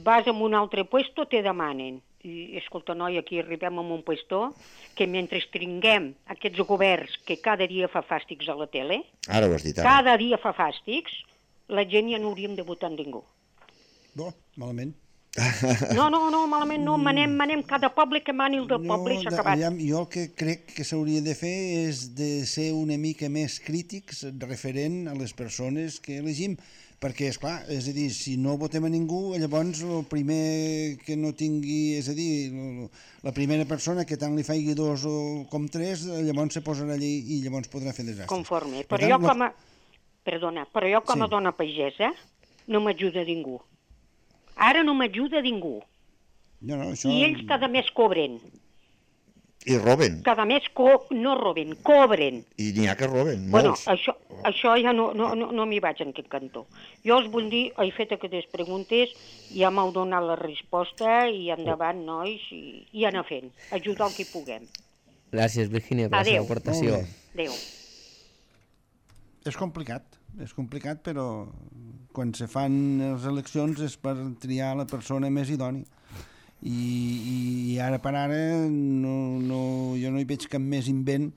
Vas a un altre puesto, te demanen. I, escolta, noi, aquí arribem a un puesto que mentre tinguem aquests governs que cada dia fa fàstics a la tele, ara ho has dit, cada dia fa fàstics, la gent ja no hauríem de votar ningú. No, malament. No, malament no, manem cada poble que mani el del poble i s'ha acabat. Jo el que crec que s'hauria de fer és de ser una mica més crítics referent a les persones que elegim, perquè, esclar, és a dir, si no votem a ningú, llavors el primer que no tingui, és a dir, la primera persona que tant li faigui 2 com 3, llavors se posarà allí i llavors podrà fer desastres. Conforme. Però jo com a dona pagesa no m'ajuda ningú. Ara no m'ajuda ningú. I ells cada mes cobren. I roben. Cada mes no roben, cobren. I n'hi ha que roben, molts. Bueno, això ja no m'hi vaig en aquest cantó. Jo us vull dir, he fet aquestes preguntes, ja m'heu donat la resposta i endavant, nois, i anar fent. Ajudar el que puguem. Gràcies, Virgínia, per la seva aportació. Adéu. És complicat, però quan se fan les eleccions és per triar la persona més idònia. I ara per ara jo no hi veig cap més invent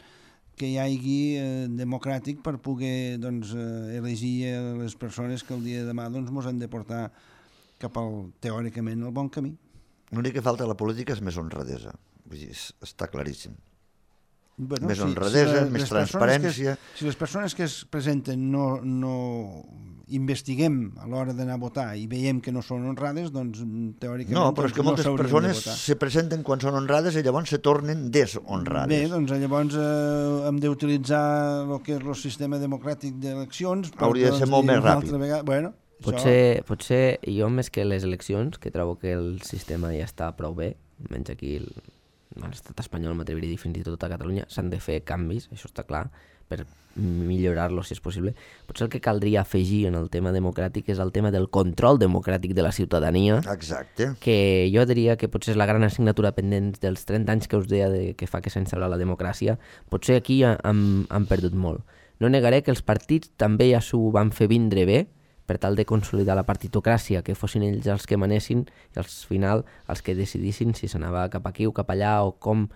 que hi hagi democràtic per poder elegir les persones que el dia de demà ens han de portar cap al, teòricament, al bon camí. L'únic que falta a la política és més honradesa. Vull dir, està claríssim. Bueno, més honradesa, més transparència. Si les persones que es presenten no investiguem a l'hora d'anar a votar i veiem que no són honrades, doncs teòricament no, però és que moltes persones se presenten quan són honrades i llavors se tornen deshonrades. Bé, doncs llavors hem d'utilitzar el que és el sistema democràtic d'eleccions. Hauria de ser molt més ràpid. Bueno, potser jo més que les eleccions, que trobo que el sistema ja està prou bé, menys aquí l'estat espanyol, m'atreviria a dir fins i tot a Catalunya, s'han de fer canvis, això està clar, per millorar-lo si és possible. Potser el que caldria afegir en el tema democràtic és el tema del control democràtic de la ciutadania. Exacte. Que jo diria que potser és la gran assignatura pendent dels 30 anys que us deia que fa que s'ha instal·lat la democràcia. Potser aquí han perdut molt. No negaré que els partits també ja s'ho van fer vindre bé, per tal de consolidar la partitocràcia, que fossin ells els que manessin i al final els que decidissin si s'anava cap aquí o cap allà o com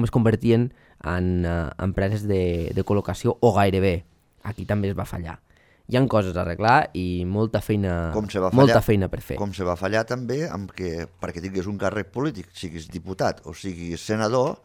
es convertien en empreses de col·locació o gairebé. Aquí també es va fallar. Hi ha coses a arreglar i molta feina per fer. Com se va fallar també amb que perquè tinguis un càrrec polític, siguis diputat o siguis senador,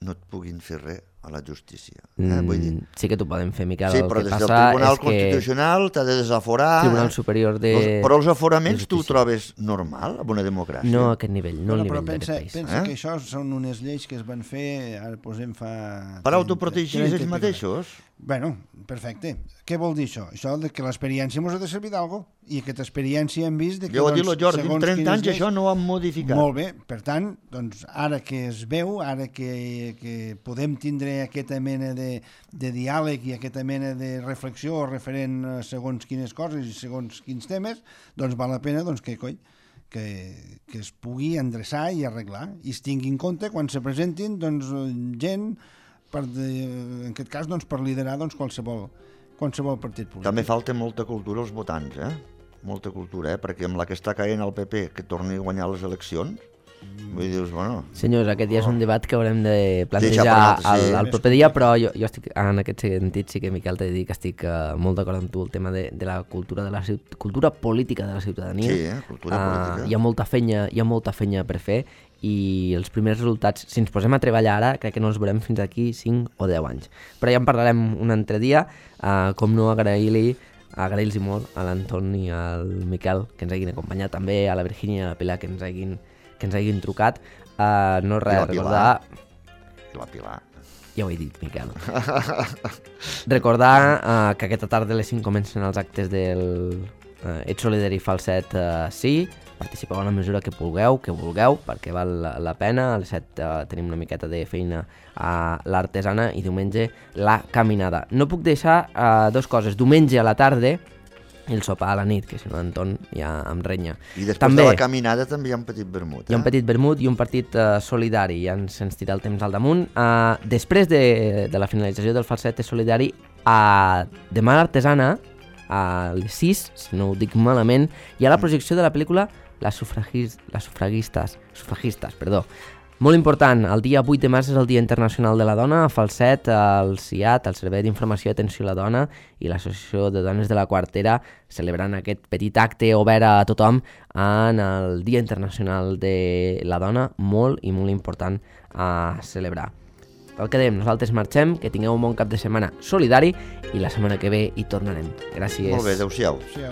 no et puguin fer res a la justícia. Vull dir... Sí que t'ho podem fer, Miquel. Sí, però des del Tribunal Constitucional t'ha de desaforar... Tribunal Superior de... Però els aforaments tu ho trobes normal en una democràcia? No a aquest nivell, no al nivell d'aquest país. Pensa que això són unes lleis que es van fer, ara posem fa... Per autoprotegir ells mateixos? Bueno, perfecte. Què vol dir això? Això que l'experiència ens ha de servir d'algo i aquesta experiència hem vist... Jo ho dic, Jordi, en 30 anys això no ho han modificat. Molt bé, per tant, doncs, ara que es veu, ara que podem tindre aquesta mena de diàleg i aquesta mena de reflexió referent a segons quines coses i segons quins temes, doncs val la pena que es pugui endreçar i arreglar i es tingui en compte quan se presentin gent en aquest cas per liderar qualsevol partit polític. També falta molta cultura als votants, molta cultura, perquè amb la que està caient el PP que torni a guanyar les eleccions, vull dir, bueno... Senyors, aquest ja és un debat que haurem de plantejar el proper dia, però jo estic, en aquest sentit sí que, Miquel, t'he de dir que estic molt d'acord amb tu, el tema de la cultura política de la ciutadania. Sí, cultura política. Hi ha molta fenya per fer i els primers resultats, si ens posem a treballar ara, crec que no els veurem fins aquí 5 o 10 anys. Però ja en parlarem un altre dia, com no agrair-los molt a l'Anton i al Miquel que ens hagin acompanyat, també a la Virgínia i a la Pilar que ens hagin trucat. No res, recordar... I la Pilar. Ja ho he dit, Miquel. Recordar que aquesta tarda a les 5 comencen els actes del Ets Solidari Falset sí, participeu en la mesura que vulgueu, perquè val la pena. A les 7 tenim una miqueta de feina a l'Artesana i diumenge la caminada. No puc deixar dues coses. Diumenge a la tarda i el sopar a la nit, que si no Anton ja em renya. I després de la caminada també hi ha un petit vermut. Hi ha un petit vermut i un partit solidari, ja ens tira el temps al damunt. Després de la finalització del Falset Solidari, demà a l'Artesana, a les 6, si no ho dic malament, hi ha la projecció de la pel·lícula Les sufragistes. Molt important, el dia 8 de març és el Dia Internacional de la Dona. A Falset, el CIAT, el Servei d'Informació i Atenció a la Dona i l'Associació de Dones de la Quartera celebrant aquest petit acte obert a tothom en el Dia Internacional de la Dona, molt i molt important a celebrar. el que dèiem, nosaltres marxem, que tingueu un bon cap de setmana solidari i la setmana que ve hi tornarem. Gràcies. Molt bé, adeu-siau. Sí,